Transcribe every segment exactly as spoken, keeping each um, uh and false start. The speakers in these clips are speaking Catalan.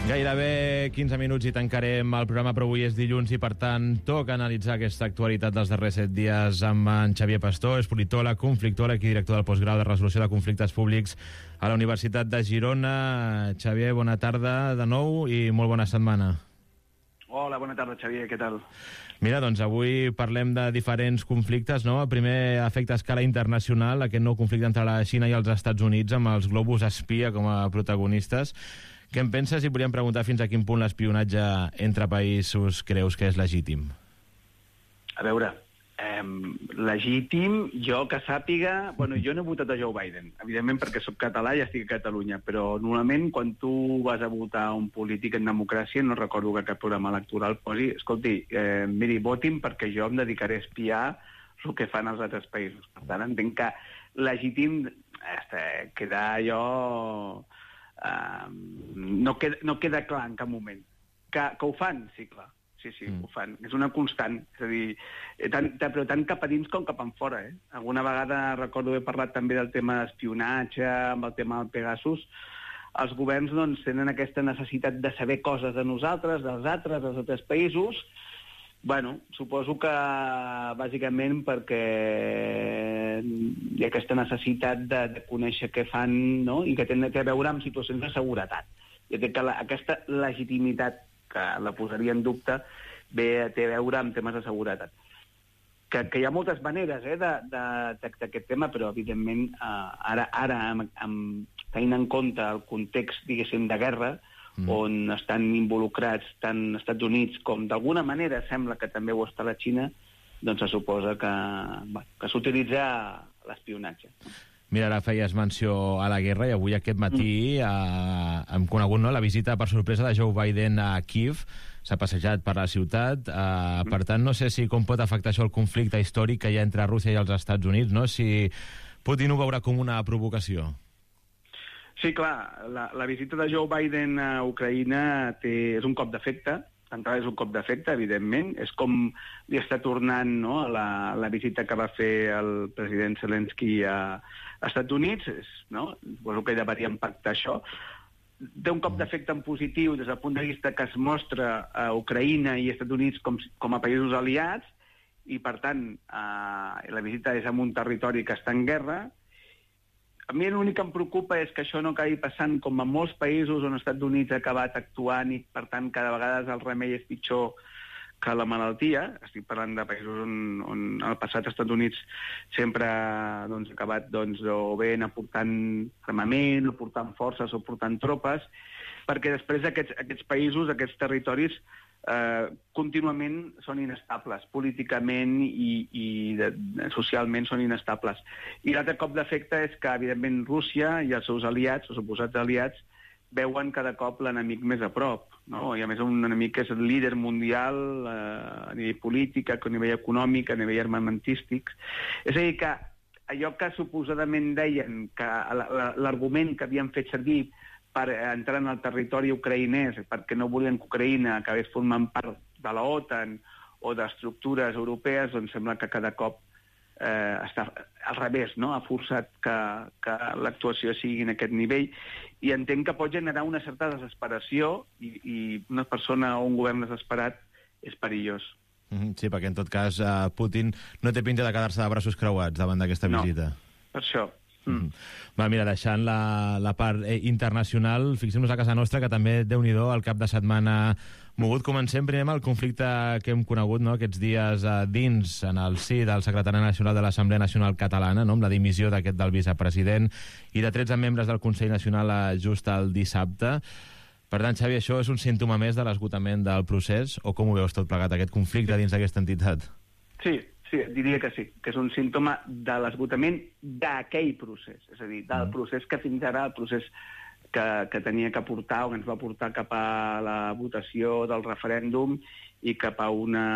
Gairebé quinze minuts i tancarem el programa, però avui és dilluns i, per tant, toca analitzar aquesta actualitat dels darrers set dies amb en Xavier Pastor, és politòleg, conflictòleg i director del postgrau de resolució de conflictes públics a la Universitat de Girona. Xavier, bona tarda de nou i molt bona setmana. Hola, bona tarda, Xavier, què tal? Mira, doncs avui parlem de diferents conflictes, no? El primer afecta a escala internacional, aquest nou conflicte entre la Xina i els Estats Units, amb els globus espia com a protagonistes. Què en penses i volíem preguntar fins a quin punt l'espionatge entre països creus que és legítim? A veure, eh, legítim, jo que sàpiga... Bueno, jo no he votat a Joe Biden, evidentment perquè sóc català i estic a Catalunya, però normalment quan tu vas a votar un polític en democràcia, no recordo que cap programa electoral posi, escolti, eh, miri, votin perquè jo em dedicaré a espiar el que fan els altres països. Per tant, entenc que legítim eh, queda allò... Uh, no, queda, no queda clar en cap moment. Que, que ho fan? Sí, clar. Sí, sí, mm. ho fan. És una constant. És a dir, tant, tant, però tant cap a dins com cap en fora. Eh? Alguna vegada recordo haver parlat també del tema d'espionatge, amb el tema del Pegasus. Els governs doncs, tenen aquesta necessitat de saber coses de nosaltres, dels altres, dels altres països. Bueno, suposo que bàsicament perquè hi ha aquesta necessitat de, de conèixer què fan, no? I que té a veure amb situacions de seguretat. I que la, aquesta legitimitat, que la posaria en dubte, ve, té a veure amb temes de seguretat. Que, que hi ha moltes maneres eh, de, de, d'aquest tema, però evidentment eh, ara, ara amb, amb, tenint en compte el context, diguéssim, de guerra, Mm. on estan involucrats tant Estats Units com d'alguna manera sembla que també ho està la Xina, doncs se suposa que, bueno, que s'utilitza l'espionatge. Mira, ara feies menció a la guerra i avui aquest matí mm. eh, hem conegut no, la visita per sorpresa de Joe Biden a Kíev. S'ha passejat per la ciutat. Eh, mm. Per tant, no sé si com pot afectar això el conflicte històric que hi ha entre Rússia i els Estats Units, no? Si Putin ho veurà com una provocació. Sí, clar, la, la visita de Joe Biden a Ucraïna té, és un cop d'efecte, d'entrada és un cop d'efecte, evidentment, és com li està tornant no, a la, la visita que va fer el president Zelensky a, a Estats Units, és, no? Suposo que deveria impactar això. Té un cop d'efecte en positiu des del punt de vista que es mostra a Ucraïna i Estats Units com, com a països aliats, i per tant eh, la visita és en un territori que està en guerra. A mi l'únic que em preocupa és que això no acabi passant com a molts països on els Estats Units ha acabat actuant i, per tant, cada vegada el remei és pitjor que la malaltia. Estic parlant de països on, on al passat els Estats Units sempre doncs, ha acabat doncs, o bé aportant armament, o portant forces, o portant tropes, perquè després aquests, aquests països, aquests territoris, eh, contínuament són inestables, políticament i, i de, socialment són inestables. I l'altre cop d'efecte és que, evidentment, Rússia i els seus aliats, els suposats aliats, veuen cada cop l'enemic més a prop, no? I a més un enemic que és el líder mundial eh, a nivell polític, a nivell econòmic, a nivell armamentístic. És a dir, que allò que suposadament deien, que l'argument que havien fet servir per entrar en el territori ucraïnès, perquè no volien que Ucraïna acabés formant part de la OTAN o d'estructures europees, doncs sembla que cada cop eh, està al revés, no? Ha forçat que, que l'actuació sigui en aquest nivell, i entenc que pot generar una certa desesperació, i, i una persona o un govern desesperat és perillós. Sí, perquè en tot cas eh, Putin no té pinta de quedar-se de braços creuats davant d'aquesta visita. No, per això. Mm. Va, mira, deixant la, la part eh, internacional, fixem-nos a casa nostra, que també, Déu-n'hi-do, el cap de setmana mogut. Comencem primer amb el conflicte que hem conegut no, aquests dies eh, dins, en el si del secretari nacional de l'Assemblea Nacional Catalana, no, amb la dimissió d'aquest del vicepresident i de tretze membres del Consell Nacional eh, just el dissabte. Per tant, Xavi, això és un símptoma més de l'esgotament del procés, o com ho veus tot plegat, aquest conflicte dins d'aquesta entitat? Sí, sí, diria que sí, que és un símptoma de l'esgotament d'aquell procés, és a dir, del procés que fins ara, el procés que, que tenia que portar, o que ens va portar cap a la votació del referèndum i cap a una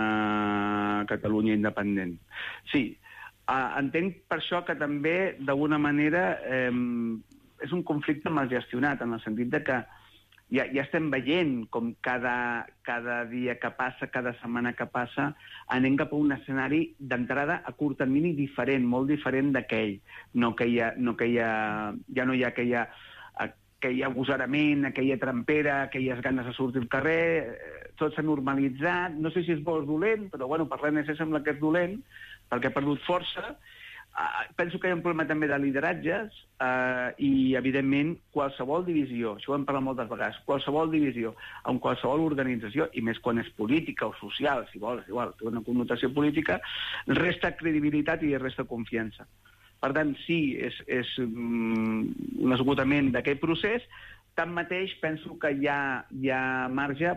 Catalunya independent. Sí, eh, entenc per això que també, d'alguna manera, eh, és un conflicte mal gestionat, en el sentit de que Ja, ja estem veient com cada, cada dia que passa, cada setmana que passa, anem cap a un escenari d'entrada a curt termini diferent, molt diferent d'aquell. No que hi ha, no que hi ha, ja no hi ha aquella aquell agosarament, aquella trampera, aquelles ganes de sortir al carrer, tot s'ha normalitzat. No sé si és bo o dolent, però bueno, per l'A N C sembla que és dolent, perquè ha perdut força. Uh, penso que hi ha un problema també de lideratges uh, i, evidentment, qualsevol divisió, això ho hem parlat moltes vegades, qualsevol divisió en qualsevol organització, i més quan és política o social, si vols, igual, té una connotació política, resta credibilitat i resta confiança. Per tant, sí, és, és um, un esgotament d'aquest procés. Tanmateix, penso que hi ha, hi ha marge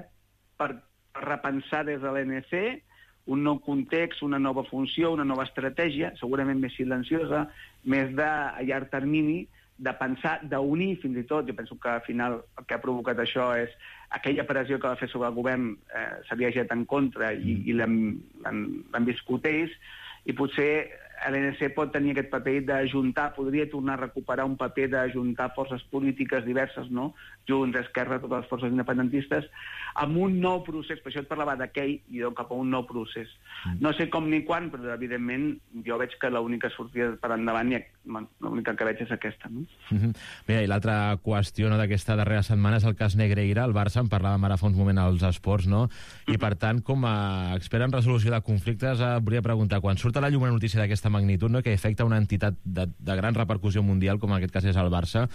per repensar des de l'A N C un nou context, una nova funció, una nova estratègia, segurament més silenciosa, més de a llarg termini, de pensar, d'unir fins i tot. Jo penso que al final el que ha provocat això és aquella pressió que va fer sobre el govern eh, s'havia llegit en contra i, i l'han viscut ells, i potser l'A N C pot tenir aquest paper d'ajuntar, podria tornar a recuperar un paper d'ajuntar forces polítiques diverses, no? Junts, Esquerra, totes les forces independentistes, amb un nou procés. Per això et parlava d'aquell i cap a un nou procés. No sé com ni quan, però evidentment jo veig que l'única sortida per endavant, i l'única que veig és aquesta. No? Mm-hmm. Bé, i l'altra qüestió, no, d'aquesta darrera setmana és el cas Negreira. El Barça en parlàvem ara fa uns moments als esports, no? I per tant, com a expert en resolució de conflictes, eh, volia preguntar, quan surt a la llum una notícia d'aquesta magnitud, no, que afecta una entitat de, de gran repercussió mundial, com en aquest cas és el Barça,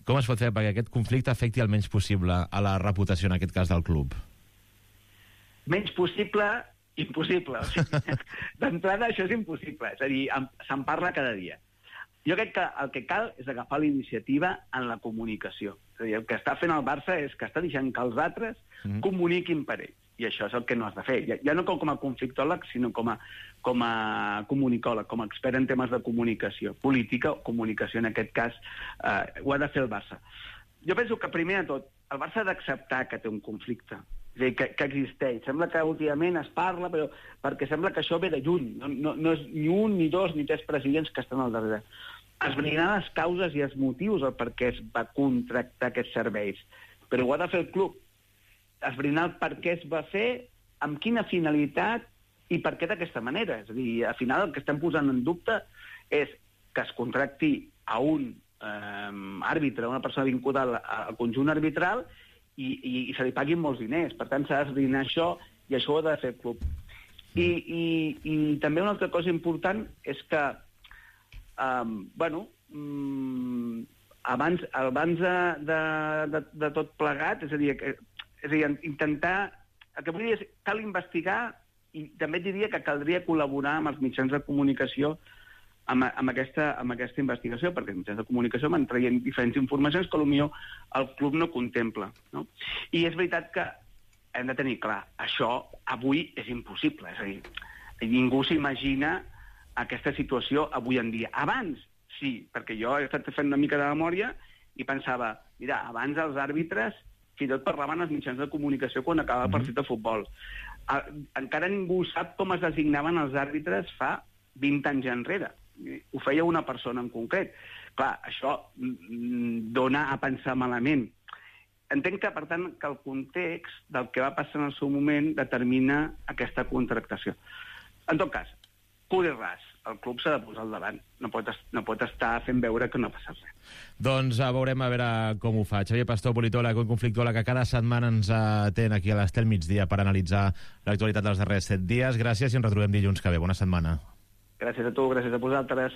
com es pot fer perquè aquest conflicte afecti el menys possible a la reputació, en aquest cas, del club? Menys possible, impossible. O sigui, d'entrada, això és impossible. És a dir, se'n parla cada dia. Jo crec que el que cal és agafar la iniciativa en la comunicació. És a dir, el que està fent el Barça és que està deixant que els altres mm. comuniquin per ells. I això és el que no has de fer. Ja, ja no com a conflictòleg, sinó com a, com a comunicòleg, com a expert en temes de comunicació, política o comunicació, en aquest cas, eh, ho ha de fer el Barça. Jo penso que, primer de tot, el Barça ha d'acceptar que té un conflicte, és a dir, que, que existeix. Sembla que últimament es parla, però perquè sembla que això ve de lluny. No, no, no és ni un, ni dos, ni tres presidents que estan al darrere. Esbrinar les causes i els motius el per què es va contractar aquests serveis. Però ho ha de fer el club. Esbrinar el per què es va fer, amb quina finalitat i per què d'aquesta manera. És a dir, al final el que estem posant en dubte és que es contracti a un eh, àrbitre, una persona vincuda al, al conjunt arbitral i, i, i se li paguin molts diners. Per tant, s'ha d'esbrinar això i això ho ha de fer el club. I, i, i també una altra cosa important és que, eh, bueno, mm, abans, abans de, de, de, de tot plegat, és a dir, que És a dir, intentar... El que vull dir és que cal investigar i també diria que caldria col·laborar amb els mitjans de comunicació amb, amb, aquesta, amb aquesta investigació, perquè els mitjans de comunicació van traient diferents informacions que potser el club no contempla. No? I és veritat que hem de tenir clar, això avui és impossible. És a dir, ningú s'imagina aquesta situació avui en dia. Abans, sí, perquè jo he estat fent una mica de memòria i pensava, mira, abans els àrbitres fins i tot parlaven els mitjans de comunicació quan acabava el partit de futbol. Encara ningú sap com es designaven els àrbitres fa vint anys enrere. Ho feia una persona en concret. Clar, això dona a pensar malament. Entenc que, per tant, que el context del que va passar en el seu moment determina aquesta contractació. En tot cas, cul i ras, el club s'ha de posar al davant. No pot, no pot estar fent veure que no passa res. Doncs uh, veurem a veure com ho fa. Xavier Pastor, politòleg, conflictòleg, que cada setmana ens atén aquí a l'Estel Migdia per analitzar l'actualitat dels darrers set dies. Gràcies i ens retrobem dilluns que ve. Bona setmana. Gràcies a tu, gràcies a vosaltres.